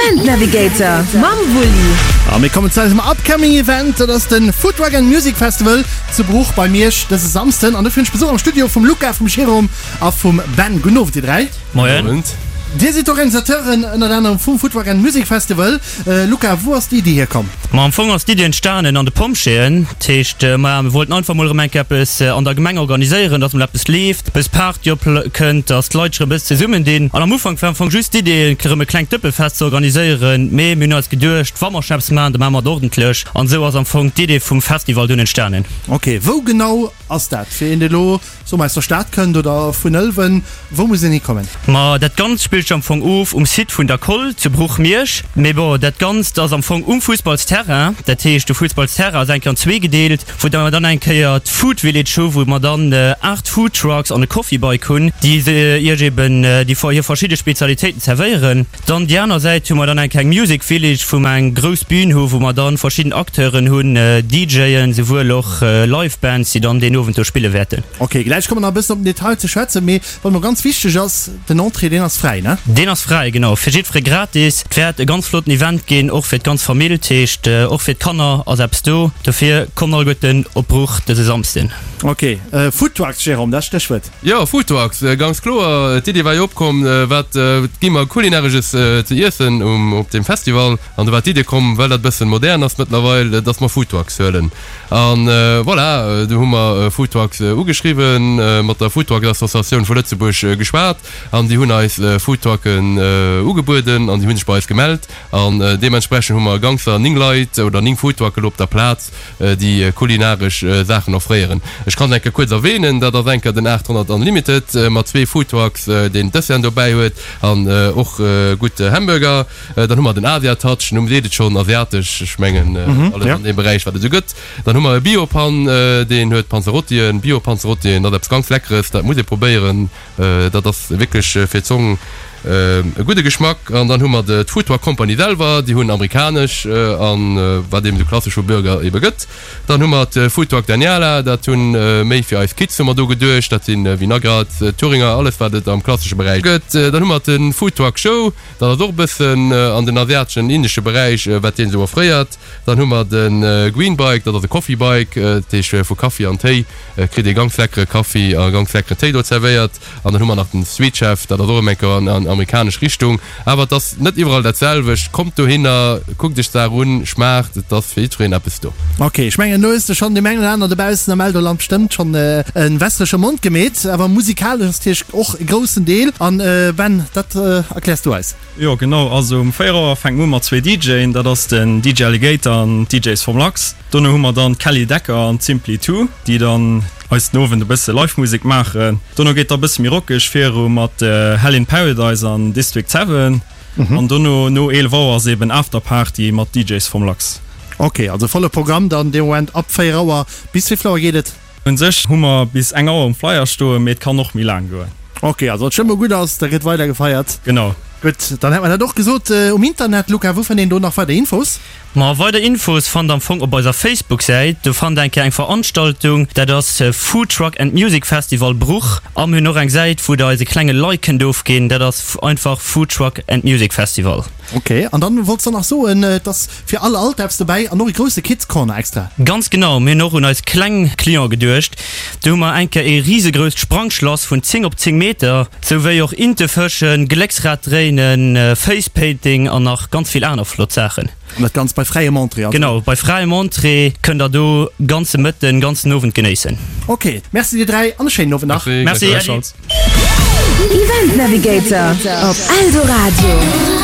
Event Navigator mam Wulli. A mir kommen zu eisem upcoming Event, dat ass den Foodtruck and Music Festival zu Bruch bei Miersch dëse Samsden. An dofir hunn ech Besuch am Studio vum Luca, vum Jérôme a vum Ben. Gudden Owend dir 3. Moien. Dir sidd d'Organisateuren ënnert anerem vum Foodtruck and Music Festival. Luca, wou ass déi Iddi hierkomm? Ma am Fong ass d'Iddi entstanen an de Pompjeeën. Dat heescht, maja, mir wollten einfach mol erëm eng Kéier eppes an der Gemeng organiséieren, dass mol eppes leeft, e bëss Party opkënnt, dass d'Leit sech erëm e bëss zesummendinn. An am Ufank war am Fong just d'Idee, erëm e klengt Dëppefest ze organiséieren. Mee mir hunn eis geduecht, wa mer schon eppes maachen, da maache mer et ordentlech. An esou ass am Fong d'Idee vum Festival dunn entstanen. Ok, wou genau ass dat? Fir een, dee lo Soe mer aus der Stad kënnt oder vun Ëlwen, wou muss een hikommen? Ma dat Ganzt spillt sech am Fong of um Site vun der Koll zu Bruch-Miersch. Mee bon, dat Ganzt ass am Fong um Fussballsterrain. Dat heescht, de Fussballsterrain ass eng Kéier an zwee gedeelt, wou mer dann eng Kéier d'Food Village hu, wou mer dann 8 Food Trucks an e Coffee Bike hunn, déi iech eben déi hir verschidde Spezialitéiten zerwéieren. Dann déi aner Säit hu mer dann eng kleng Music Village, wou mer eng grouss Bühn hu wou mer dann verschidden Acteuren hunn, DJen, souwuel och Live Bands, déi dann deen Owend do spille wäerten. Ok, gläich komme mer nach e bëssen op den Detail ze schwätzen, mee wat mer ganz wichteg ass, den Entrée deen ass fräi, ne? Deen ass fräi, genau, fir jiddfere gratis. Et wäert e ganz flotten Event ginn, och fir d'ganz Famill, dat heescht och fir d'Kanner ass eppes do. Dofir kommt alleguerten op Bruch dëse Samsden. Ok, Food Trucks, Jérôme, dat Stéchwuert. Jo, Foodtrucks, ganz kloer. D'Idee war jo opkomm, wat gi mer Kulinaresches ze iessen um op deem Festival? An do war d'Idee komm, well dat e bëssen modern ass mëttlerweil, dass mer Foodtrucks huelen. An voilà, du hu mer Foodtrucks ugeschriwwen, mat der Foodtruck-Associatioun vu Lëtzebuerg geschwat an déi hunn eis Foodtrucken ugebueden an déi hu sech bei eis gemellt. An deementsprechend hu mer ganzer 9 Leit oder 9 Foodtrucke lo op der Plaz. déi kulinaresch Saachen offréieren. Ech kann se eng Kéier kuerz erwähnen, dat ass eng Kéier den 800 Unlimited mat zwee Foodtrucks, deen Desserten dobäi huet an och gutt Hamburger. Dann hu mer den Asia Touch, Numm seet et schonn, asiatesch, ech mengen alles an deem Beräich wat et esou gëtt. Dann hu mer e Bio-Pan, deen huet Panzerottien, Bio-Panzerottien, dat ass eppes ganz Leckeres, dat muss ee probéieren. Dat ass wierklech fir d'Zong e gudde Geschmack. An dann hu mer d'Food Truck Company selwer, déi hunn amerikanesch an wat eben esou klassesch vu Burger ebe gëtt. Dann hu mer d'Food Truck Daniela, dat hunn méi fir eis Kids hu mer do geduecht, dat si Vinagrat, Thüringer, alles wat et am klassesche Beräich gëtt. Dann hu mer de Food Truck Show, dat ass och e bëssen an den asiateschen, indesche Beräich, wat deen esou offréiert. Dann hu mer de Green Bike, dat ass e Coffee Bike, dat heescht vu Kaffi an Téi kritt ee ganz leckere Kaffi a ganz leckeren Téi do zerwéiert. An dann hu mer nach den Sweet Chef, dat ass och erëm eng Kéier an amerikanesch Richtung. Awer et ass net iwwerall dat selwecht. Kommt dohinner, kuckt iech d'Saach un, schmaacht, et ass fir jiddwereen eppes do. Ok, ech mengen elo hues de schonn deem engen oder aneren dobaussen am Eldoland bestëmmt schonn e wässerege Mond gemeet. Awer musikalesch ass natierlech och e groussen Deel. An Ben, dat erkläers du eis. Jo genau, also um 4 Auer fänkt mer u mat zwee DJen, dat ass den DJ Alligator an d'DJs vom Lachs. Dono hu mer dann d'Kelly Decker an d'Simply Two, déi dann eis den Owend e bësse Live Musek maachen. Dono geet da bësse méi rockeg viru mat Hell in Paradise an District 7 an dono no 11 Auer ass eben Afterparty mat DJs vom Lachs. Ok, also volle Programm dann dee Moment ab 4 Auer. Bis wéivill Auer geet et? Un sech hu mer bis eng Auer um Flyer stoen, mee et kann och méi laang goen. Ok, also wann d'Stëmmung gutt ass, da gëtt weider gefeiert. Genau. Gutt, dann hätt mer dat och gesot. Um Internet, Luca, wou fënnt een do nach weider Infos? Ma weider Infos fannt am Fong op eiser Facebook-Säit. Do fannt eng Kéier eng Veranstaltung, dat ass Food Truck and Music Festival Bruch. A mir hunn och eng Säit, wou der eis e klenge Like kënnt ofginn, dat ass einfach Food Truck and Music Festival. Ok, an dann wollts de nach soen, et ass fir all Alter eppes dobäi an och e grousse Kids Corner extra. Ganz genau, mir hunn och un eis kleng Clienten geduecht. Do hu mer eng Kéier ee risegrousst Sprangschlass vun 10 op 10 Meter, sou wéi och Intefëschen, Glécksrad dréinen, Facepainting an nach ganz vill aner flott Saachen. An dat Ganzt bei fräiem Entrée also? Genau, bei fräiem Entrée kënnt der do ganze Mëtten, ganzen Owend genéissen. Ok, merci dir 3 an e schéinen Owend nach. Merci, Äddi. Event Navigator op Eldoradio.